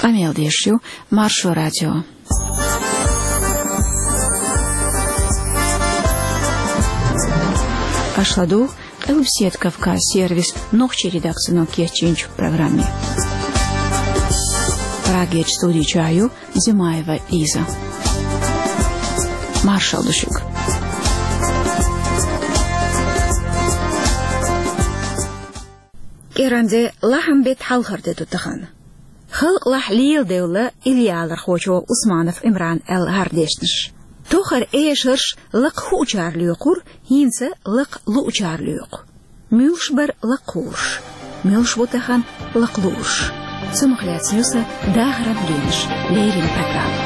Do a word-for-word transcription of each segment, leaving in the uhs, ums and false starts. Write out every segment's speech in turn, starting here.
Къамел деш ю Маршо радио. Аша ладугӀу Къилбаседа Кавказ сервисан нохчийн редакцино кечйинчу программе. Прагерчу студи чохь ю Зимаева Лиза. Маршалла ду шуьга. КӀиранде лахьан беттан хьалхара де ду тахана. Халкъалахь леладевлла иллиалархочо Усманов Ӏимрана аьлла хӀара дешнаш. Тохара эшарш лакха хуучара лоькхура, хӀинца лакха луучара лоькху. Муьлш бара лакхуьйш, муьлш бу тахана лакхалуьйш? Цунах лаьцна ю сан дахаран генаш леррина программа.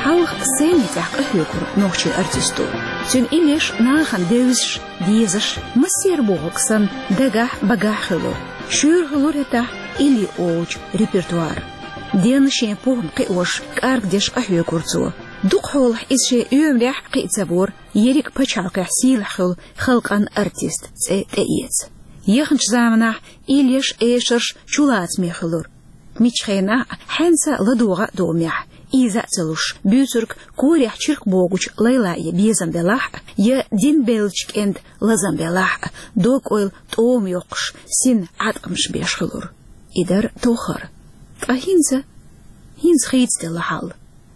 Хьалха сцени тӀехь къахьоьгура нохчийн артисто. Цуьнан иллеш нахана девзаш, дезаш, массеран бохург санна, дагахь, багахь хуьлура. Шуьйра хуьлура хӀетахь илли олучу репертуар. Денна шен похӀма кхиош, кӀаргдеш къахьоьгура цо. Дукхахьолахь иза шен оьмарехь кхиа ца вора, ерриг а пачхьалкхехь сийлахь хуьлу халкъан артист цӀе тӀеэца. Яханчу заманахь иллеш, эшарш чулацаме хуьлура. Миччу хенахь а, хьаьнца а ладогӀа а домехь, ийза а ца луш, буьйцург корехь чиркх богучу лайла я безам белахь а, я дин беллачу кӀентан лазам белахь а, дог-ойла тӀома йоккхуш, син Ӏаткъамаш беш хуьлура. И дара тохара. Ткъа хӀинца? ХӀинца хийцаделла хьал.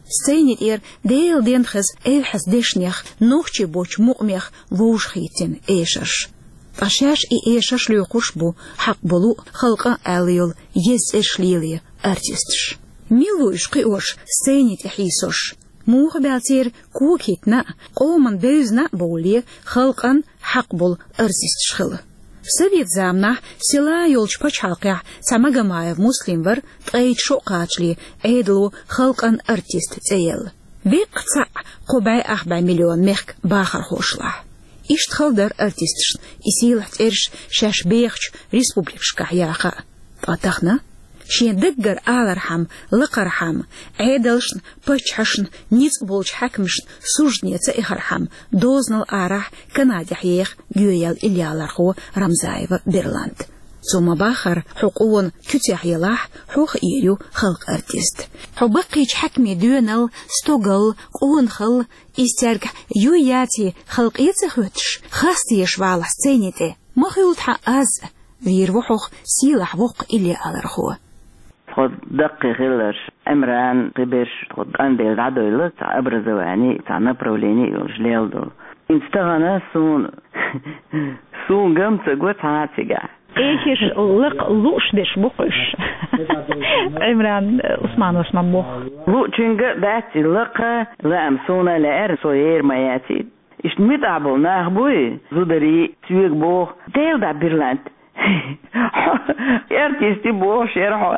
Сцени тӀера Делан денна хеза эвхьаза дешнех, нохчийн боцчу мукъамех вовшахӀиттина эшарш. Ткъа шаьш и эшарш лоькхуш бу, хьакъ болу а, халкъан а аьлла йолу еза цӀераш лело артисташ. Мила ву уьш кхиош, сцени тӀе хьийсош? Муха баьлла церан кога хӀиттина а, къоман бевзина а бовлале, халкъан хьакъ болу артисташ хила? Совет заманахь села йолчу пачхьалкхехь цхьа Магомаев Муслим вара, ткъе итт шо кхачале Ӏедало халкъан артист цӀе елла. Веккъа цхьаъ кхо бӀе ах бӀе миллион мехкан бахархошлахь. Иштта хала дара артисташна и сийлахь цӀераш шаьш бехачу республикашкахь яха а. Ткъа тахана? Шен даггара алархьама, лакхархьама, Ӏедалшна, паччахьашна ницкъ болчу хьаькамашна суждане ца эхархьама, дозанал арахь Канадехь еха гӀоьяьлла иллиалархо Рамзаева Берлант. Цо ма-баххара, хьо къона куьцехь елахь, хьох эр ю халкъан артист. Хьо баккхийчу хьаькамийн доьналла, стогалла, къонахалла, иза цаьргахь юй яций халкъе ца хоьттуш, хаста езаш валахь сцени тӀе? Ма хуьлда хьан аз а, вийр ву хьох сийлахь воккха иллиалархо. Тхо даккхий хилларш, Ӏимран, кхиберш, тхо тӀамбелла дӀадойла цхьа образование, цхьа направление йолуш лела долу. ХӀинца тахана суна, суна гам ца го цхьа а цигахь. Эхиш лакха лууш дерш бу-кх уьш. Ӏимран Усмановс ма боху. Луучуьнга а дац и лакха, лаам суна лаьара, со ер ма яций. Иштта муьтӀахь болу нах буй, зударий, соьга боху, Дела дӀа, Берлант. Хьо артист ю бохуш яра хьо.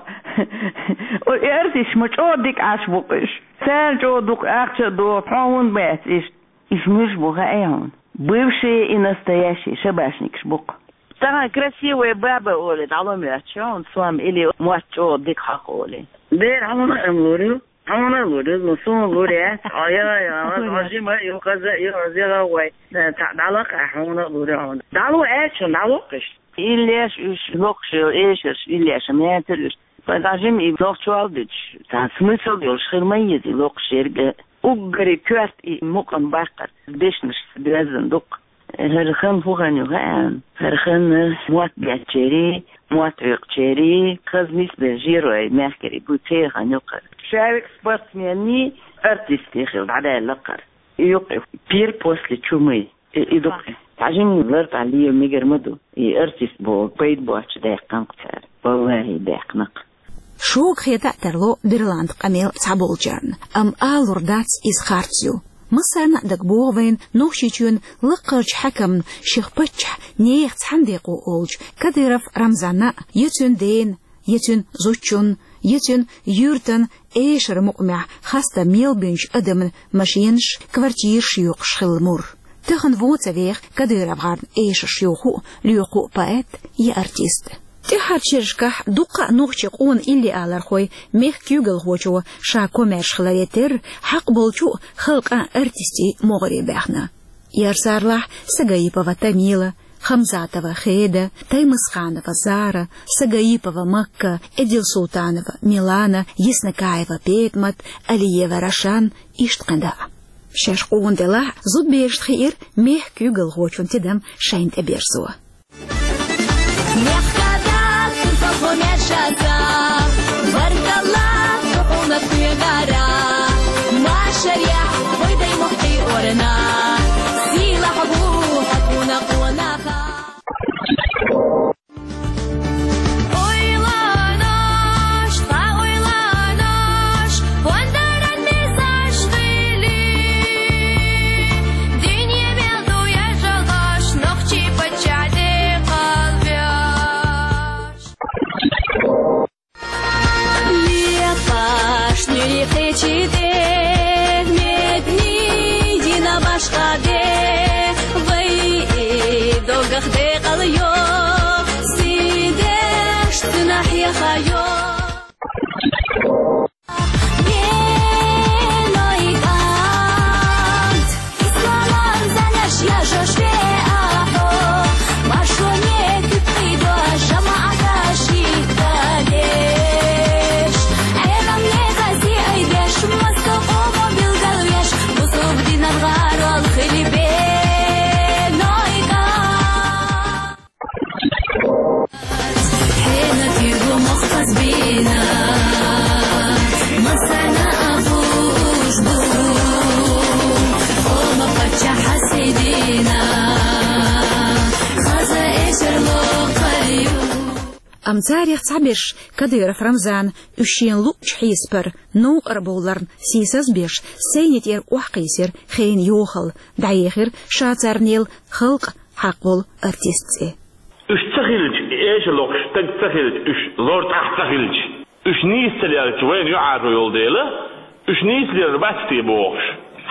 Артисташ ма чӀогӀа дика Ӏаш бу-кх уьш. Царна чӀогӀа дукха ахча а доху, хьо хӀунда бац иштта? Уьш муьлш бу хаьий хьуна? Бывшие и настоящие шабашникаш бу-кх. Тахана красивая баба олий, дӀало моьтту хьуна сом или мотт чӀогӀа дика хьакха олий? Дера хьуна а лур ю. Хьуна а лур ю, ну, суна лур яц. Ай, ай, ай, ай, жима ю, хаза ю, хаза вай. Цхьа дӀалакха хьуна а лур ю хьуна. ДӀало аьлча, дӀалоккхуш. Иллеш уьш локхуш йолу эшарш, иллеш ма яцара уьш. Вай дӀа жима и нохчо а дуьтуш, цхьа смысл йолуш хир ма еза и локхуш ерг. Уггаре коьрта и мукъам баккхар, дешнаш доьзна дукха. ХӀара хан хӀун хан ю хаьа? ХӀара хан мотт беттачерий, мотт хьоькхучерий, хаза нисбелла жерой мехкарий бу, церан хан ю-кх хӀара. Шаьвиг спортсмений, артистий хила дӀадаьлла-кх хӀара. И ю-кх и пир после чумы. И, и ду-кх и. Цхьа жимма лар тӀехь лела мегар ма ду. И артист боху пайда боцчу даьккхина-кх цара. Валлахи, даьккхина-кх. Шога хета а тарло Берлант къамел цхьаболчарна, амма алур дац иза харц ю. Массарна а дагабогӀу вайна Нохчийчоьнан лакхарчу хьаькамна шех паччахьан нехан цхьаьна декъо олучу Кадыров Рамзанна а, я цуьнан дена, я цуьнан зудчунна, я цуьнан юьртана эшаран мукъамехь хастам мел бинчу адамна машенаш, квартираш йоькъуш хилла мур. Тахана вон ца веха КадыровгӀарна эшарш йоху а, лоькху а поэт я артист. ТӀеххьарчу шерашкахь дуккха а нохчийн къона иллиалархой мехкан куьйгалхочо ша комаьрша хиларе терра, хьакъ болчу а халкъан артистийн могӀаре баьхна. Ярсарлахь Сагаипова Тамила, Хамзатова Хеда, Таймасханова Зара, Сагаипова Макка, Эдилсултанова Милана, Яснакаева Петмат, Алиева Рашан, иштта кхин дӀа а. Шаьш къона делахь а, зудаберашна хиира мехкан куьйгалхочун тидам шайна тӀеберзо. Мехкада турпалхо маьршаза, баркалла хьуна кхуьнгара, машарехь вай дай мохкий орна, сийлахь бу хьо тхуна къонаха. Ойланош, тха ойланош, пондаран мезаш хили, динья мел ду яжалгаш, нохчий паччахь де кхалвеш. Лекхаш нуьри кхечи де, медни дина башха де, вай и догах декъал йо, сидеш цуьнан хьеха йо. Меной кӀант, исламан занаш яжош веа хьо, машоне куьпкъи дош, жамаӀаташ хӀиттадеш. Ӏеламне къази айдеш, массо къомо билгалвеш, бусулба динан гӀарол хили бенойка. Хьенан куьйгу мохк хазбина, массарна а хууш ду, хӀума паччахь хьасийдина, хаза эшар локхар ю. Амма царех цхьаберш, Кадыров Рамзан, уьш шена луъучу хьесапара новкъара бовларна сийсаз а беш, сайни тӀера охьакхийсира хенан йохалла, дӀаехира ша царнел халкъан хьакъ болу артист цӀе. Уьш ца хилча, эша лохуш стаг ца хилча, уьш лор тӀехь ца хилча, уьш нийса ца лелча, вайна юьхьӀаьржо йолу дела, уьш нийса лелар бац те бохуш,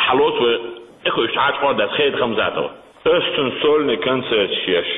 хьалоцу вай, тӀекхуьуш Ӏачу къордас Хеда Хамзатова. Ас цуьнан сольный концерташ еш.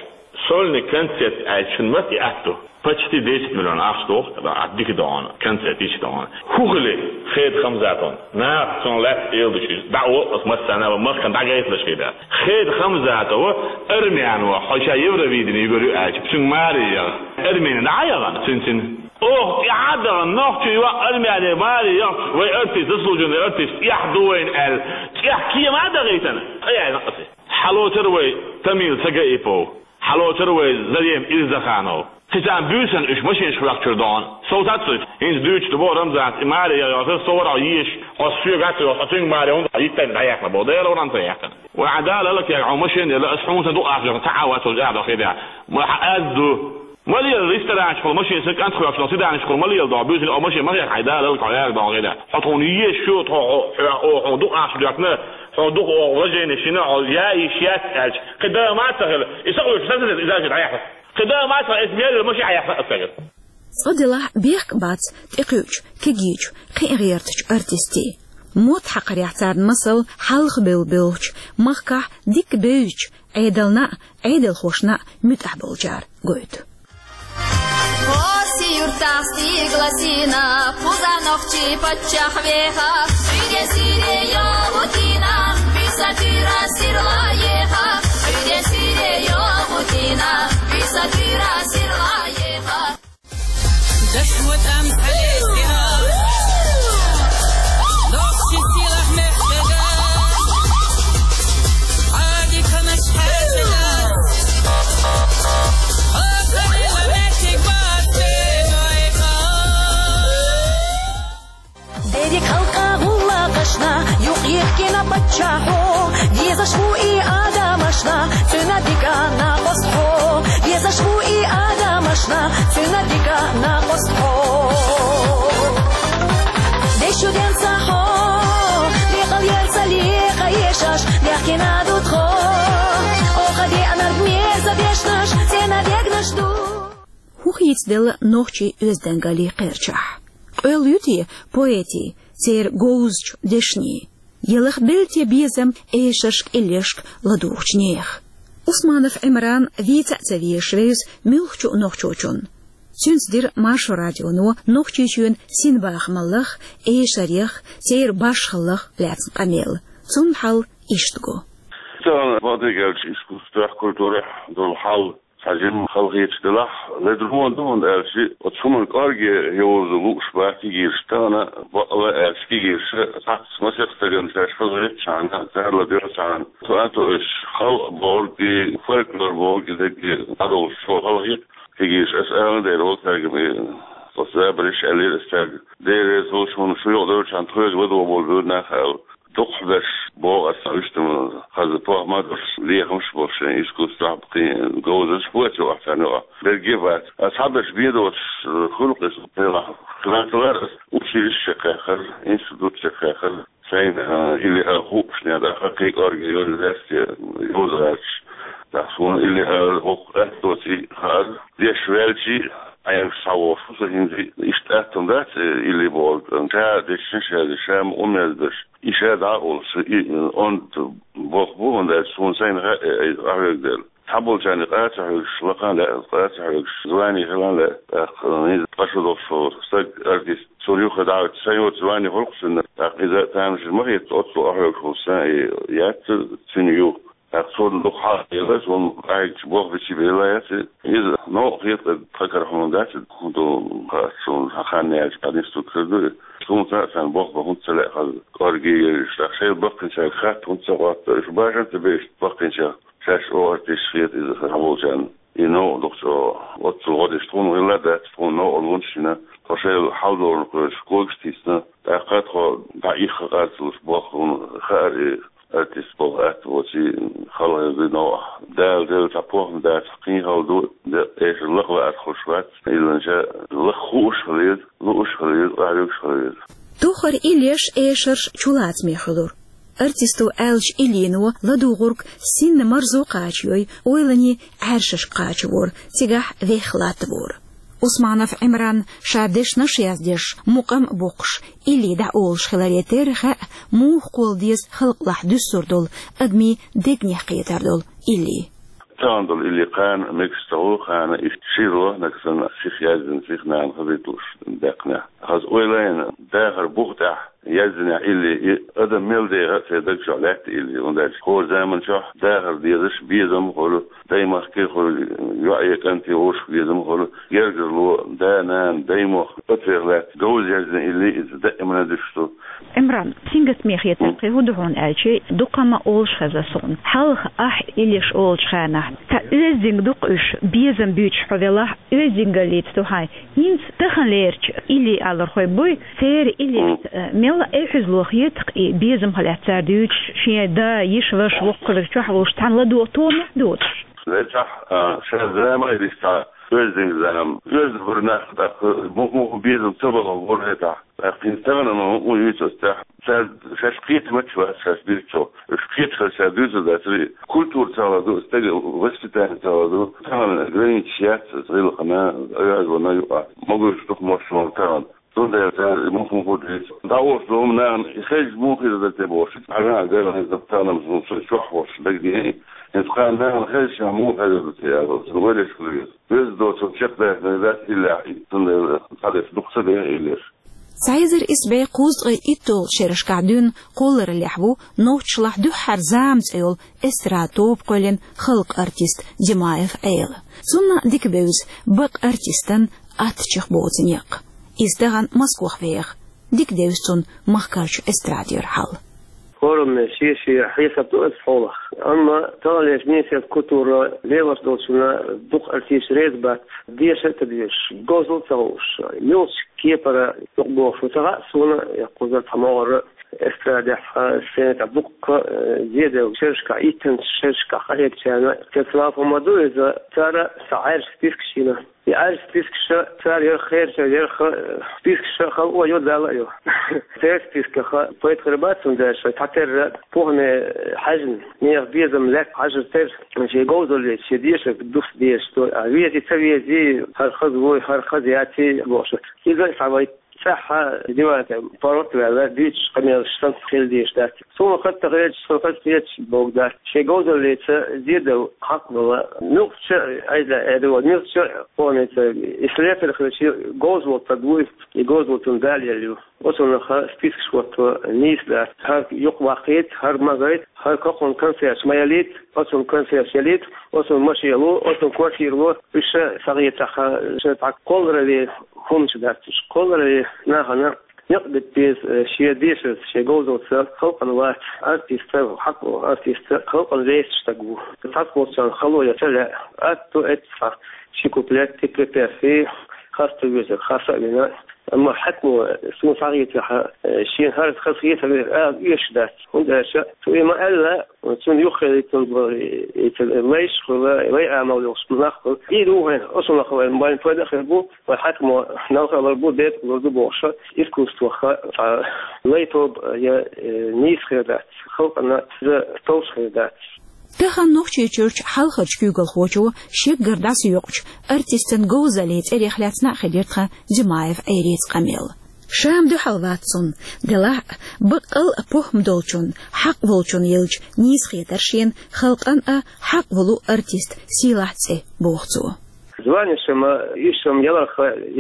Сольный концерт аьлча шуна маца и атта ду? Почти десять миллион ахча доху, а дика догӀана, концерт йича догӀана. ХӀун хили Хеда Хамзатовна? Наха цунна лаьцна эладуьтуш иза. ДӀао ас массарна а ван махкана дӀагайталаш хир дац. Хеда Хамзатова армян ван, хьо ша Евровидение югар ю аьлча, цуьнга маре яха. Армяне дӀа а яхана, цуьнан цуьнан. Оха тӀаьхьа а дахана, нохчо йоӀ армяне маре яхча, вай артист, заслуженный артист, эхь ду вайна аьлла, тӀаьхьа кема а дахийтина, къа яьлла аса. Хьалоцура вай Тамил Сагаипов, хьалоцура вай Зарем Ирзаханов. Кхин царна буьйсанна уьш машинашка ваьккхичура догӀана. Сов тац уьш, хӀинца дуьйцуш ду боху Рамзанца, и маре яхар, со вара хьо езаш, хьо соьга а ца йолуш, хьо цуьнга маре хӀунда йиттайна дӀаяьккхина боху, Дела вара ца яьккхина. Вай Ӏа Дала лакега хьо машина елла, ас хьуна сан дукъ ахча ца Ӏа вацалла аьлла хир дац. Ма хьан аз ду. Ма лела ресторанчухула машина сан кӀант хьоьхуш долу цидаьнашкахула ма лела догӀу, буьйсанна о машина ма хьеха хьайн Дала лакега хьо яьрга догӀу хир дац. Хьо тхуна езаш ю, тхо хьо, хьо, хьо, хьуна дукъ ахча доьхкина, хьуна дукъ о уважение шина, хьо яа йиш яц аьлча, кхин да ма ца хила, и са къуьйсуш сан ца деза, иза а ши дӀаяхьа. Кхин да ма ца хила, эс мел маши хьаяхьа аса. Цкъа делахь бехк бац тӀекхуьучу, кегийчу, кхин а гӀертачу артистийн. Мотт хьакхарехь царна масал хьалха бевлла бевллачу, махкахь дика бевзачу, Ӏедална а, Ӏедалхошна а муьтӀахь болчара гойту. Оси юртахь стигла сина, кхуза нохчий паччахь веха, уьде сире йогӀу дина, биса туьра сирла еха, уьде сире йогӀу дина, биса туьра сирла еха. Даш ватам хьалестира, нохчи силах мехкада, Ӏади канаш хьаьрзина, о, ханила мехкиг бац бен вайха. Дерриг халкъа гӀуллакхашна юкъ йихкина паччахьо, везаш ву и адамашна цуьнан дика накъостхьо. Везаш ву и адамашна цуьнан дика накъостхьо. Дешуденца хьо, лекъал ерца лекъа ешаш, бехкина ду тхо. Оха деанарг мерза дешнаш, цӀена дегнаш ду. ХӀун хийцаделла нохчийн оьздангаллин кхерчахь? Къоьлла ю те поэтийн, церан говзачу дешнийн? Ялахбелла те безам эшаршка, иллешка ладугӀучу нехан? Усманов Ӏимран вийца а ца везаш вевза муьлххачу нохчочунна. Цуьнца дира Маршо радионо Нохчийчоьнан синбахамаллах, эшарех, церан башхаллах лаьцна къамел. Цунна хьал иштта го. Царна бакъдерг аьлча, искусствехь, культурехь долу хьал цхьа жимма халахеташ делахь, ледарло ду, хӀунда аьлча оцу хӀуманна кӀорге йовза лууш бац кегийрхой, тахана бакъ ала аьлча кегийрхой цхьацца масех стагана шаьш хазахетачхьана, царна ладоьгӀначхьана, тоьар а тоьуш, халкъ бохург и, фольклор бохург и дерриге дӀадолуш цо халахета кегийрхой. Аса ала дера вац цаьрга, оцу забарш аьллера аса цаьрга. Дера реза хуьлда шуна, шу юкъадевлчхьана тхоьга ладогӀа болабелла нах аьлла. Дукхахберш боху аса, уьш тӀе ма хаза, похӀма а долуш, лехамаш а болуш, шайн искусствехь кхин говзанчаш боций ахь царна юкъахь? Берриге а бац. Аса цхьаберш бен доцуш, э, хуьлу-кх иза, делахь хиларца лара аса училище чекхъяьккхира, институт чекхъяьккхира. Сайна, э, илли а хуъушехь, тӀаккха кхин кӀорге йолу лаьцна йовза гӀерташ. ТӀаккха суна илли а хӀокху атта доций хаьара, деш ваьлчий, Ӏенгаш схьавогӀуш ву со хӀинца. Иштта атта дац, э, илли бохург, ша дешнаш а, ша ма умезбеш. И ша дӀа а олуш, и, онда болх бу, хӀунда аьлча суна сайна хаьа, э, охьавега дела. Цхьаболчарна къа ца хьоьгуш лакхана лаьа, къа ца хьоьгуш звани хиларна лаьа, тӀаккха, э, хӀинца къа шу долуш волу стаг, артист, цунна юха дӀа а вуьтуш, сан йоцу звани хуьлу-кх цуьнан, тӀаккха иза тамашийна ма хета, оццул охьавега хӀума сан, э, яц цуьнан ю. ТӀаккха цунна дукха хьалха елла, цунна къахьегча болх бича бен лаьа яц. Иза новкъа хета тхан кара хьуна дац, хӀун ду, хац суна, хьан хан яьлча, хьан нисдуьгуш хир ду и. Суна цхьаъ санна болх бан хӀунда ца лаьа хаза, кӀорге а еш, тӀаккха шайна баккхийчаьрга хатта хӀунда ца хотту, уьш башха ца беш баккхийчаьрга, шаьш оха артисташ хета иза хьаболчарна. И новкъа дукха чӀогӀа, оццул гӀо деш тхуна хилла а дац, тхуна новкъарлонаш а йина, тхо шайла хьал долурна кхоьруш когаш а тийсина, тӀаккха тхо дӀа ихха къарцалуш болх хӀуна хаьара и. Артист болх атта воций, халахетта новкъахь. Дала делла цхьа похӀма дацахь, кхин хала ду, де, эшар лакха лаарх хуьлуш вац, илланча лакха хууш хилийла, лууш хилийла, къахьоьгуш хилийла. Тохара иллеш, эшарш чулацаме хуьлура. Артисто аьллачу иллино ладугӀург синна марзо кхачайой, ойланийн Ӏаьршашка кхачавора, цигахь вехха латтавора. Усманов Ӏимран ша дешнаш а яздеш, мукъам а боккхуш, илли дӀаолуш хиларе терра хаьа, муха кхолла деза халкъалахь дуьссур долу, адамийн дегнех кхетар долу илли. Тахана долу илли кхана мегаш ца хуьлу, кхана иштта ши рохнаг санна сиха яздина, сиха нана хазийта лууш даьккхинехь. Хаза ойланийн дахар бух тӀехь яздинехь илли, и адам мел деха а церан даг чохь лаьтта илли, хӀунда аьлча хӀора заман чохь дахар дезаш безам а хуьлу, даймахке а хуьлу, йоӀе, кӀанте, вовшашка безам а хуьлу, гергарло, да, нана, даймохк, оцех лаьтта говза яздина илли иза даимана дуьсуш ду. Ӏимран, сингаттаме хетар кхин хӀун ду хьуна аьлча, дукха ма олуш хеза суна. Хьалха ахь иллеш олучу хенахь, цхьа оьздангаллица дукха уьш безам буьйцуш хьо велахь, оьздангаллица ду хьайн. ХӀинца таханлерчу илли алархой буй, церан иллешца, э, мелла а эхь-хьуьзало хета-кх и безамах лаьцна цара дуьйцуш, шен да, йиша, ваша воккхавар чохь волуш цхьаьна ладогӀа томехь доцуш. Лечахь, а, ша зама а дисча, оьздангаллица зама, оьзда бара нах, тӀаккха муха-муха безам ца бахалла бара хетахь. ТӀаккха хӀинца тахана ма хӀун юьйцу аса тӀехь? Цара шаьш кхетамаш бац, шаьш дирцо. Уьш кхеташ хилча дуьйцур дацара и. Культура цхьаалла ду, стеган воспитание цхьаалла ду. Тахана границаш яц аса гӀиллакхана, оьзда вана юкъа. Могуш дукха мощ ван тахана. Цундела цара муха-муха дуьйцу. ДӀаош долу нахана и хезча муха хир дара те бохуш. Хьажа а гара хезна тахана ма со чохь волуш дагадеана. ХӀинца кхана нахана хезча муха хезар ду те аьлла, цуьнан вареш хила веза. Веза доцург чекхдаьхна дац иллехь, цундела цхьадерш дукха ца деха иллеш. Цхьа эзар исс бӀе кхузткъе итталгӀачу шерашкахь дуьйна кхоллараллехь ву нохчашлахь дуьххьара «Зама» цӀе йолу эстрада тоба кхоьллина халкъан артист Димаев Ӏела. Цунна дика бевза бакъ артистан аттачех боцу некъ. Иза тахана Москвахь веха. Дика девза цунна махкарчу эстрадера хьал. ХӀораммо шен-шен хьесап ду аса хьолах. Амма таханлерчу министерстван культура лелош долчунна дукха артисташ реза бац, деша а ца дезаш, говзалла а ца хууш, муьлхачу кепара юкъабохуш ву ца хаьа суна, я кхузара цхьа могӀара эстрадехь, сцена тӀехь дуккха, э, зеделла шерашкахь, иттанчу шерашкахь къахьегначарна. Цецвала хӀума ду иза, цара цхьа Ӏаьржа спискаш йина. И Ӏаьржа спискаш цара ярх херча, ярх, э, спискаш хала а йо, дала а йо. Церан списках пайда хир бац, хӀунда аьлча цхьатерра похӀме хьаьжна, нехан безам лаьцна хьажар терра, шен говзаллица, шен дешарг дус дезаш ду, а вези, ца вези, хӀара хаза вуй, хӀара хаза яций бохуш. Иза а схьавайта. тӀаьхьа диван тӀа паргӀат а ваьлла, дуьйцуш къамелаш санна хила дезаш дац. Суна хатта хеташ, суна хатта хеташ боху дац. Шен говзаллица зен дала хьакъ долу, муьлххачу а, айда, айда, муьлххачу а къомаца, и слесарь хилча, говза волу стаг вуй, и говза волу цунна Дала елла ю. Оцунах спискаш хӀотто нийса дац. ХӀара юкъаваккхийта, хӀара ма гайта, хӀара кхунна конфеташ ма ялийта, оцунна конфеташ ялийта, оцунна машен ло, оцунна квартира ло, уьш ша схьахетахь, ша цхьа кхолларалле хӀуманаш дац уьш. Кхолларалле нахана некъ бита беза, шен дешарца, шен говзаллица халкъана вац. Артист, хьакъ волу артист халкъана лаьтташ стаг ву. Цхьацца болчарна хало ян ца лаьа. Атта эццахь ши куплет, и припев, и хаста везар, хаса а вина. Амма хьаькамо суна схьахетахь, шена хӀара хазахетар ала оьшуш дац. ХӀунда аьлча цо и ма-аьлла, цунна юххе лаьттина болу и, и лайш хуьлу, лай амал йолуш нах хуьлу. И ду вайн, оцунах вайн, вайн пайда а хир бу, вайн хьаькамо налха а лур бу, бепиг а лур ду бохуш, искусствоха цхьа лай тоба я, э, нийса хир дац, халкъана иза товш хир дац. Тахана Нохчийчуьрчу хьалхарчу куьйгалхочо шеггара дӀасаоькъучу артистан говзаллин цӀерех лаьцна а хилира тхан Димаев Ӏуьйрийца къамел. Ша-м дуьхьал вац цунна, делахь а, баккъал а похӀма долчун, хьакъ волчун елча, нийса хетара шена халкъана а хьакъ волу артист сийлахь цӀе, боху цо. Званеш-м, иш-м яларх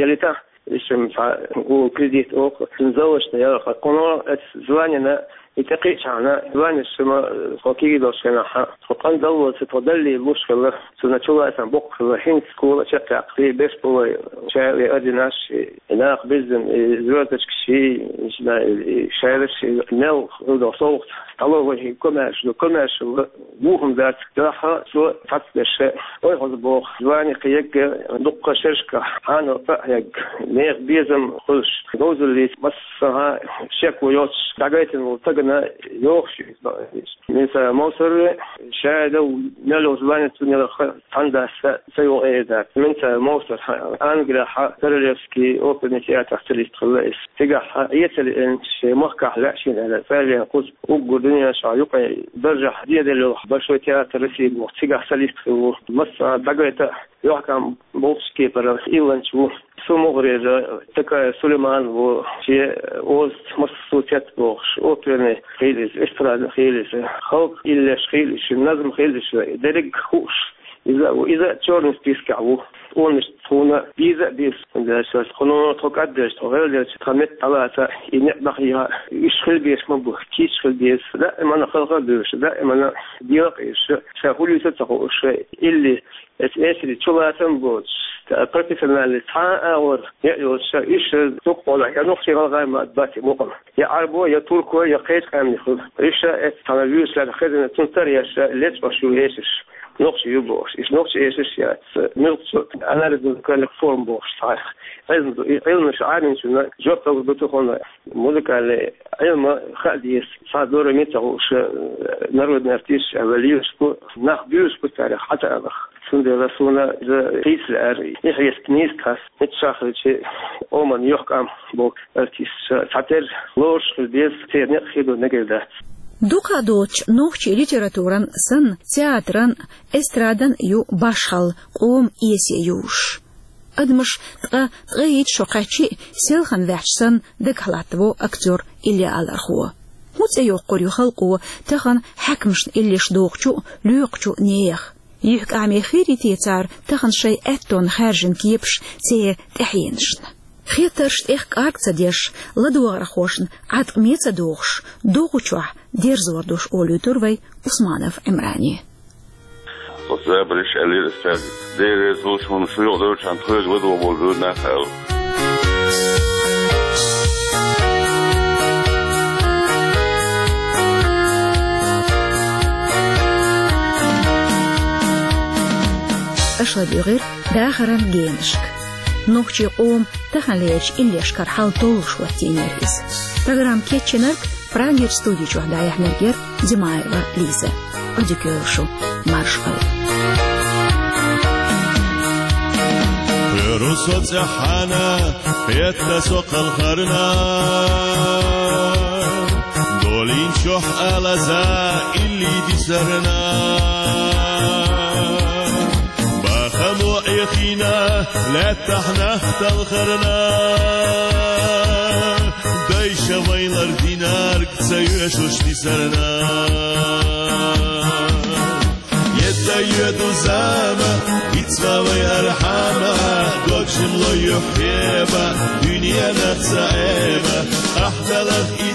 ялийта, иш-м цхьа гу кредит оха, цуьнан заллашна яларх. Кхунна эцу званина и тӀекхиъчхьана, званеш-м, тхо кегий долчу хенахь, тхо къандаллалца тхо даллий луш хилла, цунна чулацам боккха хилла, хӀинца школа а чекхъяккха, и беш болу шайла и орденаш, и нах беззина, и звёздочкаш, и, и шайла, и мел хӀума долу совгӀат, столовый, и комаьрша ду, комаьрша ду, бохам дац, дахьа цо цхьацца дерш. Ой, хаза боху, звани кхиерг дуккха шерашкахь хьанал цӀа а хьегна, нехан безам хуьлуш, говзаллица массанхьа шеко йоцуш, дӀагайтина волу стагана йохуш иза. Мин сан Мовсар, шайда мел йолчу звани цунна яларх, цхьана дасса ца йогӀу эр дац. Мин сан Мовсар, Англехь Королевский оперный театрехь солист хилла иза. Цигахь Ӏеца лиъна, шен махкахь лаьа шена аьлла, цӀа а лаьцна кхуза уггар дуьненчохь юкъе даржехь зеделла йолу Большой театр России боху, цигахь солист хилла ву. Массанхьа дӀагайта, юьхькӀам болчу кепара илланча ву. Цу мухӀарера Такаев Сулейман ву, шен озаца массо а цец бохуш, оперный хилла иза, эстрадный хилла иза, халкъан иллеш хилла иза, назам хилла иза, дерриг хууш. Иза а ву, иза а чёрный спискехь ву. Тхуна тхуна беза а беза, хӀунда аьлча тхуна тхо кӀаддерча, тхо гӀелдерча, тхан метта дӀалаца, и некъ дӀахьийха, уьш хила безаш ма бу, кийча хила беза, даимана халха а буьйлуш, даимана дела а къийсуш, ша хӀун дуьйцу а ца хууш, илли Эс-, эсри чулацам боцуш, профессиональный цхьа а агӀор яа йоцуш, уьш дуккха а я нохчий, гӀалгӀай ма бац и мукъана. Я Ӏарбо, я турко, я кхечу къаьмнех хуьлу. Уьш эс цхьана вуьйцуш лаьрна хезна, цунна тара еш, лечкъош ю эшарш. Нохчий ю бохуш. Уьш нохчий эшарш яц. Муьлххачу анализна каллех форма бохуш цхьа. Хезна ду, и Ӏилманаш Ӏамийначунна жоп лур ду тахана. Музыкальный Ӏилма хаа деза, цхьа дора меца хууш, э, народный артист аьлла лелаш бу, нах буьйлуш бу царах хьатаалах. Цундела суна иза кхийса лаьара, и хьеста нийса кхас, миччахь хилча къоман юьхькӀам болу артисташ цхьатерра лоруш хила беза, церан некъ хир ду мегар дац. Дукха а доцуш нохчийн литературан санна, театран, эстрадан ю башхалла къоман эсе юуш. Адамаш ткъа, ткъе итт шо кхаьччи а, селхана ваьхьча санна, дагахь латтаво актёр Илья Алархо. ХӀун цӀе йоккхур ю халкъо тахана хьаькамашна иллеш дохучу а, лоькхучу а нехан? ЮьхькӀаме хир йий те цара тахана шайн аьттонна хаьржина кепаш церан тӀаьхьенашна? Хеттарш тӀех кӀарг ца деш, ладогӀархошна Ӏаткъаме ца дохуш, догӀучохь дерзор долуш олуьйтур вай Усманов Ӏимрани. Оцу забарш аьллера ас цаьрга. Дера реза луш хьуна, шу юкъадевлчхьана тхоьга ладогӀа болу буьйра нах аьлла. Аша ладуьйгӀира дахаран генашка. Нохчийн къоман таханлерчу иллешкара хьал толлуш хӀоттийнера иза. Программа кечйинарг, Прагерчу студи чохь дӀаяьхьнарг яра Димаева Лиза. Ӏодика йойла шу, маршалла. Кхоьру со цӀеххьана, кхетта со кхалхарна, долийначохь алаза илли дисарна. Бахамо Ӏехийна, Лаьттахь нах талхарна, дайша вайлар динарг ца оьшуш дисарна. Етта йоьду зама, вицва вай архьама, дог шимло йохкеба, дуьненах ца эба, ахьдалах и